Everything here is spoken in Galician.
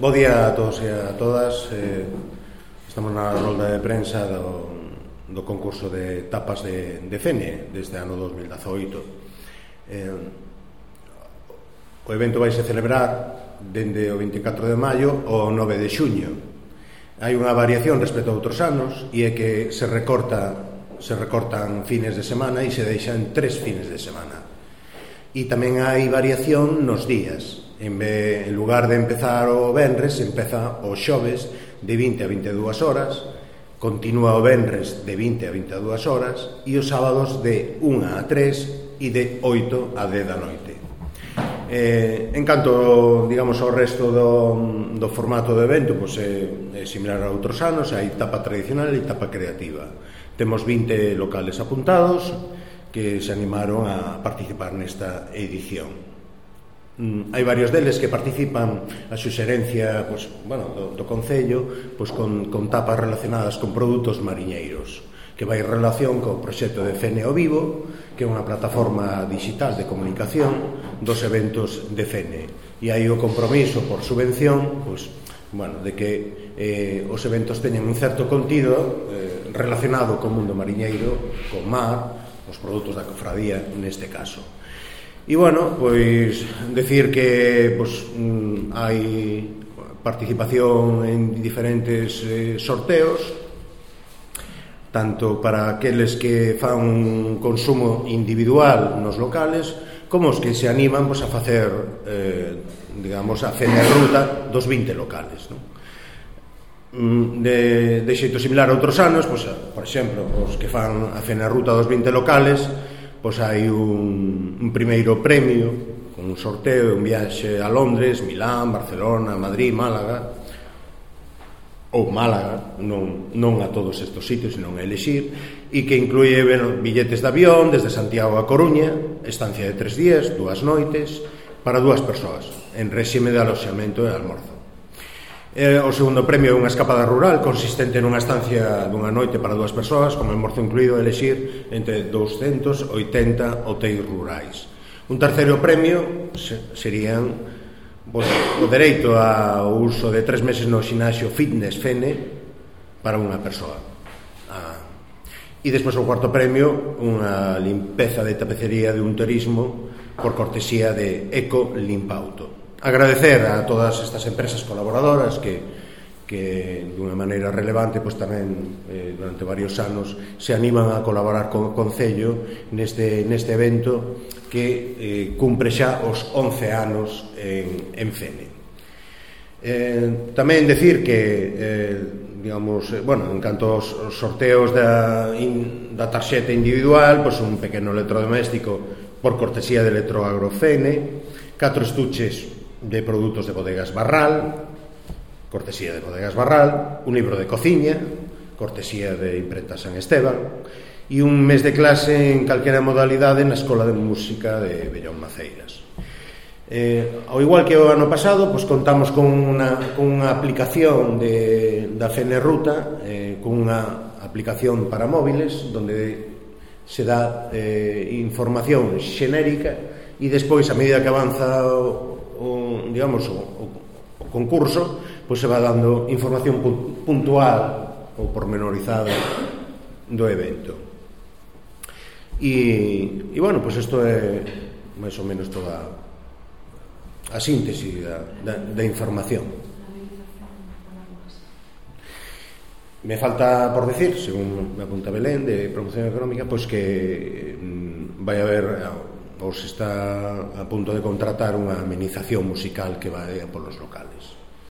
bo día a todos e a todas. Estamos na rolda de prensa do concurso de tapas de Fene deste ano 2018. O evento vai se celebrar dende o 24 de maio ao 9 de xuño. Hai unha variación respecto a outros anos, e é que se recortan fines de semana e se deixan 3 fines de semana. E tamén hai variación nos días. En lugar de empezar o venres, empeza o xoves de 20 a 22 horas, continúa o venres de 20 a 22 horas e os sábados de 1 a 3 e de 8 a 10 da noite. En canto, digamos, ao resto do formato do evento, pois é similar a outros anos. Hai tapa tradicional e tapa creativa. Temos 20 locales apuntados que se animaron a participar nesta edición. Hai varios deles que participan a suxerencia do Concello con tapas relacionadas con produtos mariñeiros, que vai en relación co proxecto de Fene ao Vivo, que é unha plataforma digital de comunicación dos eventos de Fene. E hai o compromiso por subvención de que os eventos teñen un certo contido relacionado co mundo mariñeiro, co mar, os produtos da cofradía neste caso. E decir que hai participación en diferentes sorteos, tanto para aqueles que fan un consumo individual nos locales, como os que se animan a facer a Fene Ruta dos 20 locales, de xeito similar a outros anos. Por exemplo, os que fan a Fene Ruta dos 20 locales, hai un primeiro premio con un sorteo, un viaxe a Londres, Milán, Barcelona, Madrid, Málaga, ou Málaga, non a todos estes sitios, senón a elexir, e que incluye billetes de avión desde Santiago a Coruña, estancia de 3 días, 2 noites, para 2 persoas, en réxime de aloxamento e almorzo. O segundo premio é unha escapada rural consistente nunha estancia dunha noite para 2 persoas, con almorzo incluído, a elexir entre 280 hotéis rurais. Un terceiro premio serían o dereito ao uso de 3 meses no xinasio Fitness Fene para unha persoa. E despois o cuarto premio, unha limpeza de tapecería de un turismo por cortesía de Eco Limpauto. Agradecer a todas estas empresas colaboradoras que dunha maneira relevante tamén durante varios anos se animan a colaborar co Concello neste evento que cumpre xa os 11 anos en Fene. Tamén decir que en canto aos sorteos da tarxeta individual, un pequeno electrodoméstico por cortesía de Electroagro Fene, 4 estuches de produtos de Bodegas Barral, cortesía de Bodegas Barral, un libro de cociña, cortesía de Imprenta San Esteban, e un mes de clase en calquera modalidade na Escola de Música de Bellón Maceiras. Ao igual que o ano pasado, contamos con unha aplicación da Fene Ruta, con unha aplicación para móviles, donde se dá información xenérica, e despois, a medida que avanza o concurso, se va dando información puntual ou pormenorizada do evento. Isto é máis ou menos toda a síntese da información. Me falta por decir, según me apunta Belén de Promoción Económica, que vai haber, ou se está a punto de contratar, unha amenización musical que vai polos locales.